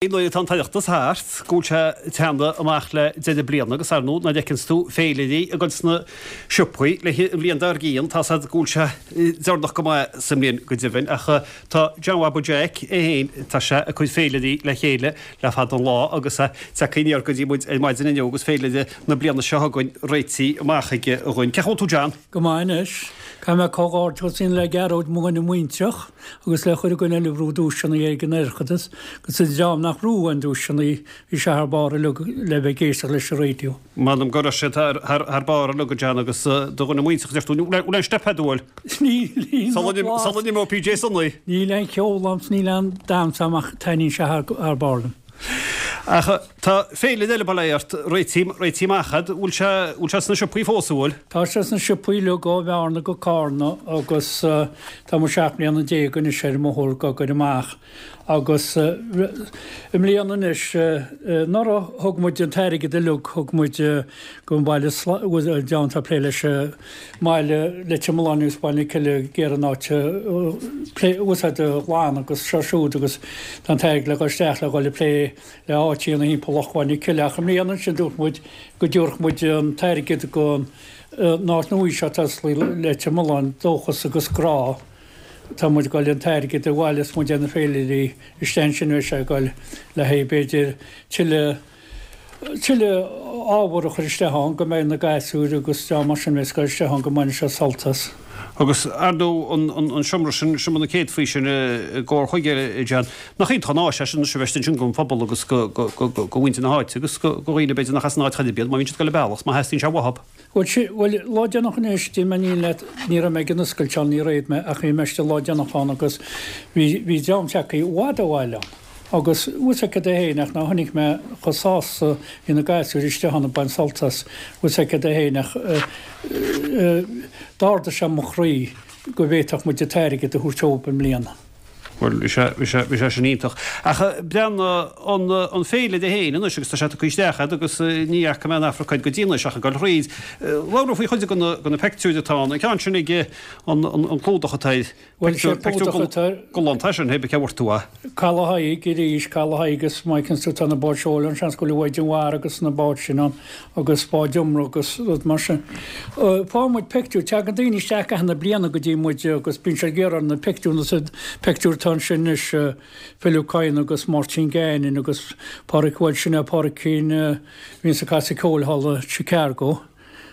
Nuair atá an tOireachtas thart, go bhfuil sé ag teannadh amach le deireadh bliana agus ar ndóigh nuair a fheiceanns tú féilirí ag dul sna siopaí le an bhliain dár gcionn, tá 's a'd go bhfuil sé deireanach go maith sa mbliain go deimhin. Ach tá John Bhaba Jeaic é féin, tá sé ag cur féilirí le chéile le fada an lá agus é tagtha aniar go dtí muid ar maidin inniu agus féilire na bliana seo chugainn réitithe amach aige dhúinn. Cén chaoi a bhfuil tú John? Go maith anois. Caithfidh mé comhghairdeachas a dhéanamh le Gearóid, mo dhuine muintreach. Agus le chuile dhuine eile a bhrú duaiseanna ag an Oireachtas, agus an dream nach bhrú aon duaiseanna, bhí sé thar barr uilig le bheith ag éisteacht leis an raidió. M'anam go raibh siad thar barr uilig, a John, agus do dhuine muintreach, deir tú, bhfuil aon steip a'd, bhfuil? Níl, Sula n-imeoidh PJ Sonaí. Níl aon cheol a'm 's níl aon damhsa a'm ach taitníonn sé thar barr liom. Ach tá féilire eile bail ó Dhia ort, réitithe amach a'd, bhfuil sé, bhfuil sé sna siopaí fós, an bhfuil? Tá sé sna siopaí uilig ó Bhearna go Cárna agus tá muid 17 mbliana anois ar an mbóthar ag obair amach agus i mbliana anois, anuraidh thug muid an t-airgead uilig, thug muid go an baile, an dream atá ag plé leis an mbaile Leitir Mealláin agus Baile na Cille ag iarraidh an áit a úsáid a ghlanadh agus seo siúd agus tá an t-airgead le dhul isteach le dhul ag plé le áit a dhéanamh thimpeall Loch Bhaile na Cille ach i mbliana ansin dúirt muid go dtabharfadh muid an t-airgead go an áit nua seo atá osclaithe Leitir Mealláin, Dóchas agus Grá. Tá muid ag dul an t-airgead a bhaileos muid ar na féilirí isteach ansin beidh sé ag dul le haghaidh b'fhéidir tuilleadh tuilleadh ábhar a chur isteach ann, go mbeidh na gasúir agus dream mar sin a bheas ag dul isteach ann go mbainfidh siad sult as. Agus ar ndóigh an seomra sin, seomra na céadfaí sin i gComhar Chuigéil, a John, nach iontach an áis é sin anois a bheith istigh ansin don phobal agus go mhuintir na háite agus go dhaoine b'fhéidir nach as an áit chor ar bith iad, má bhíonn siad ag dul an bealach, má theastaíonn sé uathub. Bhuel, sin, bhuel, lá déanach anois, déanfaidh mé an fhírinne leat, ní raibh mé ag an oscailt ann, níor fhéad mé, ach bhí mé istigh lá déanach ann agus bhí, bhí dream tagtha i bhfad ó bhaile ann. Agus, bhfuil 's agat é féin, ach ná chonaic mé chomh sásta bhí na gasúir istigh ann ag baint sult as, bhfuil 's agat é féin, ach eh, eh, d'ardaigh sé mo chroí go bhféadfadh muid an t-airgead a thabhairt dóibh i mbliana. Bhuel, bhí sé, bhí sé, bhí sé sin iontach. Ach breathnaigh an, an féilire féin anois agus tá sé tugtha isteach agat agus ní fhaca mé in Afracaid go dtí anois ach ag dul thríd. Labhair faoi chuid de na, de na peictiúir atá ann. An ceann sin ag an, an, an clúdach atá air. Bhuel, sé an clúdach atá air. Galánta é sin, hé cé bhfuair tú é? Caladh Thaidhg arís, Caladh Thaidhg is má fheiceanns tú tá na báid seoil ann, seans go bhfuil an Mhaighdean Mhara agus na báid sin ann agus bád iomramh agus rud mar sin. Faigheann muid peictiúir, tagann daoine isteach i gcaitheamh na bliana go dtí muid agus bíonn siad ag iarraidh na peictiúir, na peictiúir atá ansin anois, Phil Ó Cadhain agus Máirtín Gannon agus Pádraic, bhuel sin é Pádraicín a bhíonns ag casadh ceoil thall i Chicago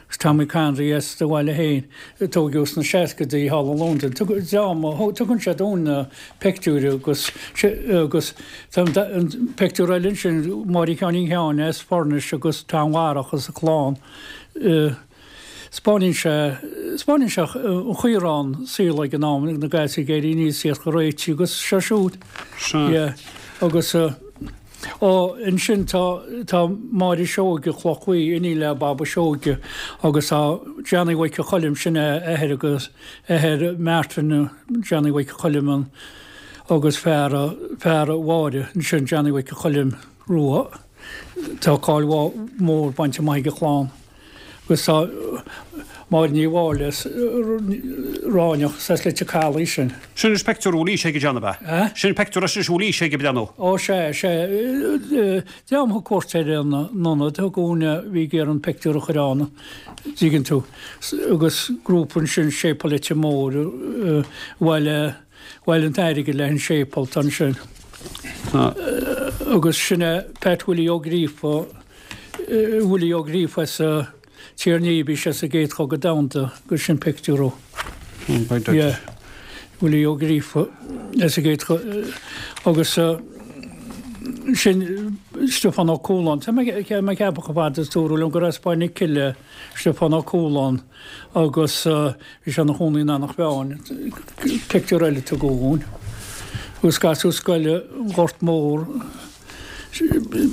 agus Tommy Connery as do bhaile féin a tóigeadh sna seascadaí thall i Londain. Tugann siad dúinn na peictiúir agus agus tá an peictiúr eile ansin, Máire Sheáinín Sheáin as Furnace agus Tom Dharach as a clann. 'Spáineann sé, 'spáineann sé an chaoi a raibh an saol ag an am, na gasúir ag éirí aníos, iad a réiteach agus seo siúd. Sea. Yeah. Agus ó, ansin tá, tá Máire Seoige, Chloch Bhuí, iníon le Baba Seoige agus tá Johnny Mhic Choilm, sin é athair agus athair Martin, Johnny Mhic Choilm an, agus fear, fear Mháire, ansin Johnny Mhic Choilm Rua. Tá cáil mhór bainte amach ag a chlann. Agus tá Máire Ní Mháille as Ráineach as Leitir Calaidh sin. Sin anois peictiúr a bhfuil aois ag John ab ea? Sin peictiúr as anois a bhfuil aois ag ag breathnú. Ó sea, sea. Dream a thug cuairt ar an ionad, thug dúinn a bhí ag iarraidh an peictiúr a chur ann, dtuigeann tú. Agus grúpa ansin, Séipéal Leitir Móir, a bhailigh, bhailigh an t-airgead le an séipéal atá ansin. Agus sin é Pat Willie Ó Gríofa, Willie Ó Gríofa as Tír an Fhia, bhí sé sa gCéad Chogadh Domhanda agus sin pictiúr ó. Yeah. Willie Ó Gríofa as an gCéad agus sin Stiofán Ó Cualáin. Tá mé ag ceapadh chomh fada is dúradh liom gur as Baile na Cille Stiofán Ó Cualáin agus bhí sé ina chónaí in Eanach Mheáin. Pictiúr eile a tugadh dhúinn. Agus gasúr scoile an Ghort Mór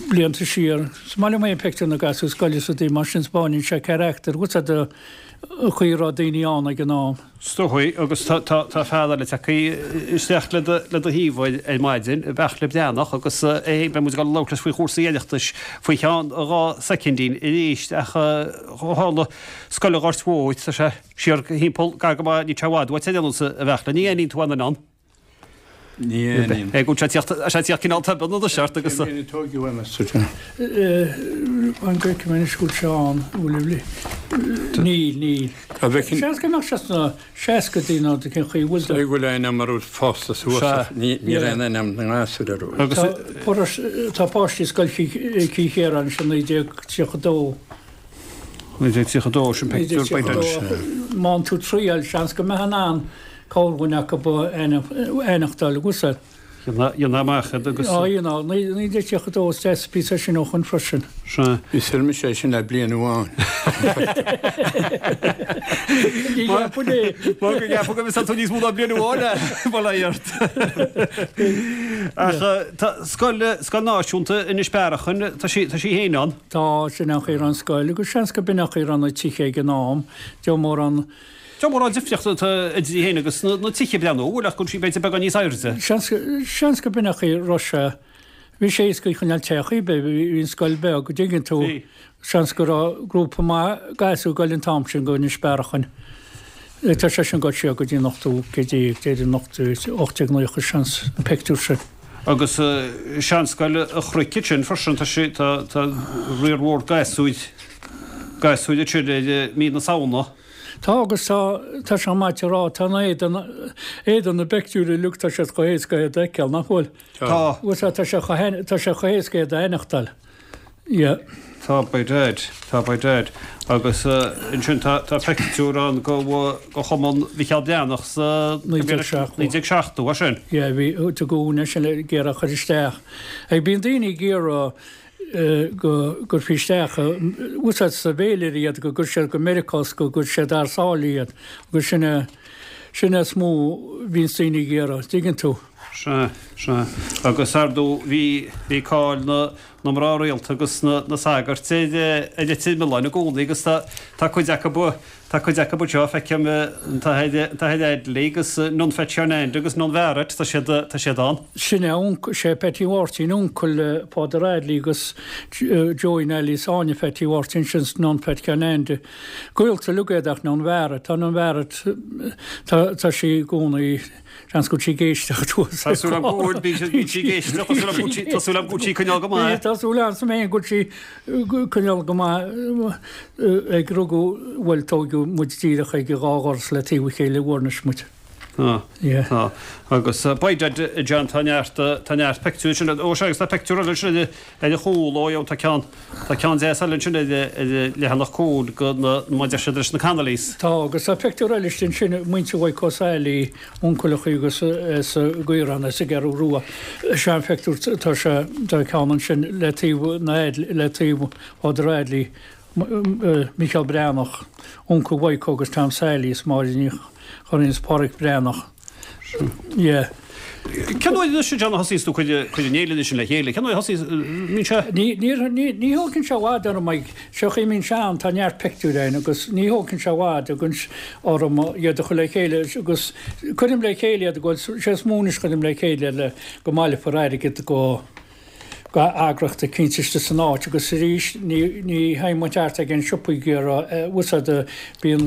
blianta siar. Is maith liom é an pictiúr na gasúr scoile sa dtaobh mar sin 'spáineann sé carachtar agus an chaoi a raibh daoine ann ag an am. Is dóigh, agus tá fear eile tagtha isteach le do thaobh ar maidin, Beartla Breathnach, agus é féin, beidh muid ag dul a labhairt leis faoi chúrsaí Oireachtais faoi cheann 2 soicindín arís, ach ó tharla Scoil an Ghoirt Mhóir, tá sé siar thimpeall gar go maith, níl sé i bhfad uait ar aon nós, a Bheartla, ní aithníonn tú aon duine ann? Ní aithním. É go bhfuil sé ag tíocht, sé ag tíocht cineál tobann anois ort agus. Cén bhliain a tóigeadh é, meas tú, John? An bhfeicim anois go bhfuil sé ann, bhfuil, níl, níl. Tá bhfeicfinn. Seans go mbeadh sé sna seascaidí nó cén chaoi a bhfuil. Is go bhfuil ainm orthu fásta suas ach ní raibh aon ainm na ngasúr orthu. Agus. Tá páistí Scoil Chill Chiaráin anois i 1932. 1932, sin pictiúr by Dunne. Má fhaigheann tú triail, seans go mbeifeá in ann corrdhuine acu a aithneachtáil agus a. Dhéanamh amach iad agus. Á dhéanamh. 1932 is deas píosa sin ó shoin freisin. Sea. Bhí suil mise é sin le bliain amháin. Ní cheapainn é. Mar go gceapadh go bhfios tú níos mó ná bliain amháin é, bail ó Dhia ort. Ach tá scoil, scoil náisiúnta Inis Bearachain, tá sí, tá sí féin ann. Tá, sin an chaoi a raibh an scoil, agus seans go b'in an chaoi a raibh na tithe ag an am, deich mórán. Deich mórán difríocht atá idir í féin agus na tithe breathnú, bhfuil ach go bhfuil sí b'fhéidir beagán níos airde. Seans, seans go b'in an chaoi a raibh sé. Bhí sé éasca í a choinneáil te chaoi ar bith, bhí an scoil beag, an dtuigeann tú. Bhí. Seans go raibh grúpa maith gasúr ag goil an t-am sin go Inis Bearachain. Tá sé sin ag goil siar go dtí an ochtú céad déag, déarfainn an ochtú, 1890 seans, an pictiúr sin. Agus seanscoil an Chnoic ansin freisin, tá sé, tá, tá riar mhór gasúir, gasúir ansin ar mí na Samhna. Tá agus tá, tá sé maith a rá, tá an éadan, éadan na bpictiúr uilig, tá siad chomh héasca iad a fheiceáil, nach bhfuil? Tá. Bhuel, tá sé chomh, tá sé chomh héasca iad a aithneachtáil. Yeah. Tá by dad, tá by dad. Agus ansin tá tá pictiúr ann go go Chumann Mhicheál Breathnach sa 1970. 1970, é sin? Yeah, bhí tugadh uainn é sin ag iarraidh a chur isteach. Ag bíonn daoine ag iarraidh go gcuirfí isteach, úsáid sa bhféilire iad, go gcuir siad go Meiriceá is go gcuir siad thar sáile iad. Agus sin é, sin é is mó a bhíonns daoine ag iarraidh, dtuigeann tú. Sea, sea. Agus ar ndóigh bhí, bhí cáil na, na mná rialta agus na, na sagairt ar, ar Leitir Mealláin i gcónaí agus tá, tá cuid acu, tá cuid acu anseo, feicim an tAthair, an tAthair Adley agus Nun Pheaits Sheáin Aindí agus Nun Bharrett, tá siad, tá siad ann. Sin é, sé Peaití Mháirtín uncail Father Adley agus Joey Neilí is Áine Pheaití Mháirtín, sin Nun Pheaits Sheáin Aindí. Gaolta uilig iad ach Nun Bharrett, tá Nun Bharrett, tá, tá sí i gcónaí, Seans go bhfuil sí ag éisteacht thuas. Tá súil agam go bhfuil, bíonn sí ag éisteacht, tá súil agam go bhfuil sí, tá súil agam go bhfuil sí ag coinneáil go maith. Tá súil agam féin go bhfuil sí ag coinneáil go maith ag rugadh, bhuel tóigeadh muid díreach ag an dhá dhoras le taobh a chéile i bhFoirnis muid. Tá, tá. Agus by dad, John, tá neart, tá neart pictiúr ansin, ó sea agus tá pictiúr eile ansin ar an chúl, ó tá ceann, tá ceann deas eile ansin ar an leathanach cúil go na, mar a deir siad leis na Connollys. Tá, agus tá pictiúr eile istigh ansin, muintir Mhaidhc Ó Sailí, uncail agus as an gCaorán, as an gCeathrú Rua. Sean phictiúr, tá sé, tá ceann ansin le taobh na, le taobh Father Adley, Micheál Breathnach, uncail Mhaidhc agus Tom Sailí is Máire Ní Churraoin is Pádraic Breathnach. Yeah. Cén uair anois a John a thosaíos tú ag cur an fhéilire sin le chéile? Cén uair a thosaíos, mbíonn sé? Ní, ní, ní, ní thógann sé i bhfad orm ag, seo chaoi a mbíonn sé ann, tá neart pictiúir ann agus ní thógann sé i bhfad agus orm iad a chur le chéile agus cuirim le chéile iad go bhfuil sé is mó anois cuirim le chéile le go mbaileofar airgead go go eagraíocht eicínt istigh san áit agus arís ní ní théann muid thart ag an siopaí ag iarraidh úsáid a bíonn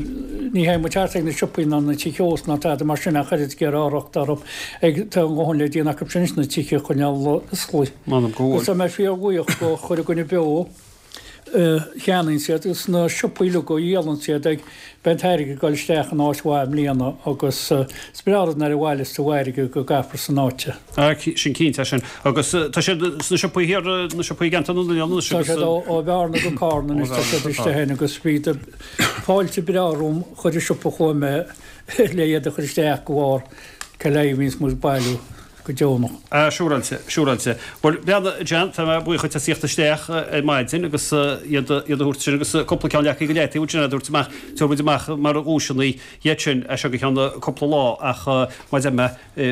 ní théann muid thart ag na siopaí ná na tithe ósta ná tada mar sin ach oiread ag iarraidh urraíocht orthu ag tá a ndóthain le déanamh acu sin anois na tithe a choinneáil oscailte. M'anam go bhfuil. Agus tá mé fíorbhuíoch go chuile dhuine beo a cheannaíonn siad agus na siopaí uilig a dhíolann siad ag beidh an t-airgead ag dul isteach in áit mhaith i mbliana agus is breá rud nuair a bhailios tú airgead go gcaithfear san áit é. Ah, sin cinnte é sin. Agus tá siad sna siopaí thiar, na siopaí i gceantar na nOileán anois agus. Tá siad ó Bhearna go Carna anois, tá siad istigh ann agus bhí fáilte breá romham chuile siopa a chuaigh mé le iad a chur isteach go bharr cé leith a bhíonns muid ag bailiú. go deonach. Ah, siúráilte, siúráilte. Bhuel, bhuel a John, tá mé buíoch dhuit as tíocht isteach ar maidin agus iad a thabhairt sin agus cúpla ceann leagtha go leataobh ansin a thabhairt amach, tabharfaidh muid amach mar dhuaiseanna iad sin as seo go ceann cúpla lá ach mar a deir mé,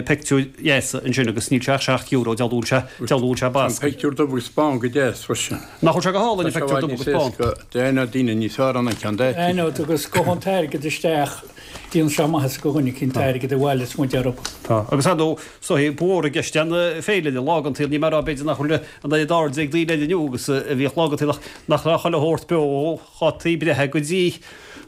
pictiúir dheasa ansin agus níl sé ach €7, dealbh sé, dealbh sé Tá an basc. pictiúr dubh agus bán go deas freisin. Nach bhfuil sé go hálainn, an Tá sé i pictiúr bhfad dubh níos agus bán. éasca d'aithneodh daoine níos fearr ná an ceann daite. Aithneodh agus gabhann an t-airgead isteach. Déanann sé maitheas do dhuine eicínt an t-airgead a bhaileos muid orthu. Tá. Agus ar ndóigh, is dóigh, ba mhór i gceist an féilire, lá den tsaol, níl mé ag rá b'fhéidir nach bhfuil an oiread airde ag daoine air inniu agus a bhíodh lá den tsaol ach nach raibh chuile shórt beo ó dhátaí breithe go dtí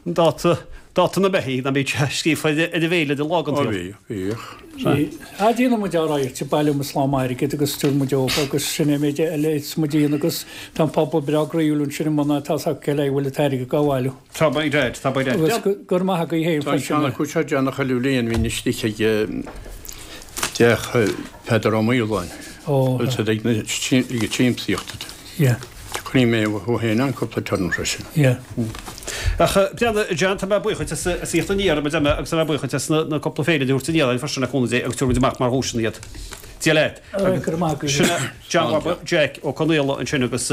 an dáta. Dáta na mbeithígh, ná bíodh sé scríofa ar an bhféilire lá den Ó tsaol. bhí, bhíodh. Bhí. Ah déanann muid ár radharc, bailíonn muid slám airgid agus stiúrann muid óg agus sin é an méid eile is muid a dhéanamh agus tá an pobal breá groíúil ansin i mbun tá 's acu cé le a bhfuil an t-airgead á bhailiú. Tá by dad, tá by dad. Agus go raibh maith agaibh féin Tá an freisin. ceann acu seo déanach chuile bhliain, bhínn istigh ag teach Peadar Ó Maoláin. Ó. Bhfuil siad ag na ag an tsiamsaíocht. Yeah. Chonaic mé thú féin ann cúpla turas freisin. Yeah. Ach breathnaigh, John, tá mé buíoch duit as a thíocht aniar, mar a deir mé, agus tá mé buíoch duit as na cúpla féilire a thabhairt aniar againn freisin le cúnamh Dé agus tabharfaidh muid amach mar dhuaiseanna iad. Dia leat. Go raibh maith agat. Sin é John Bhaba Jack Ó Conaola ansin agus.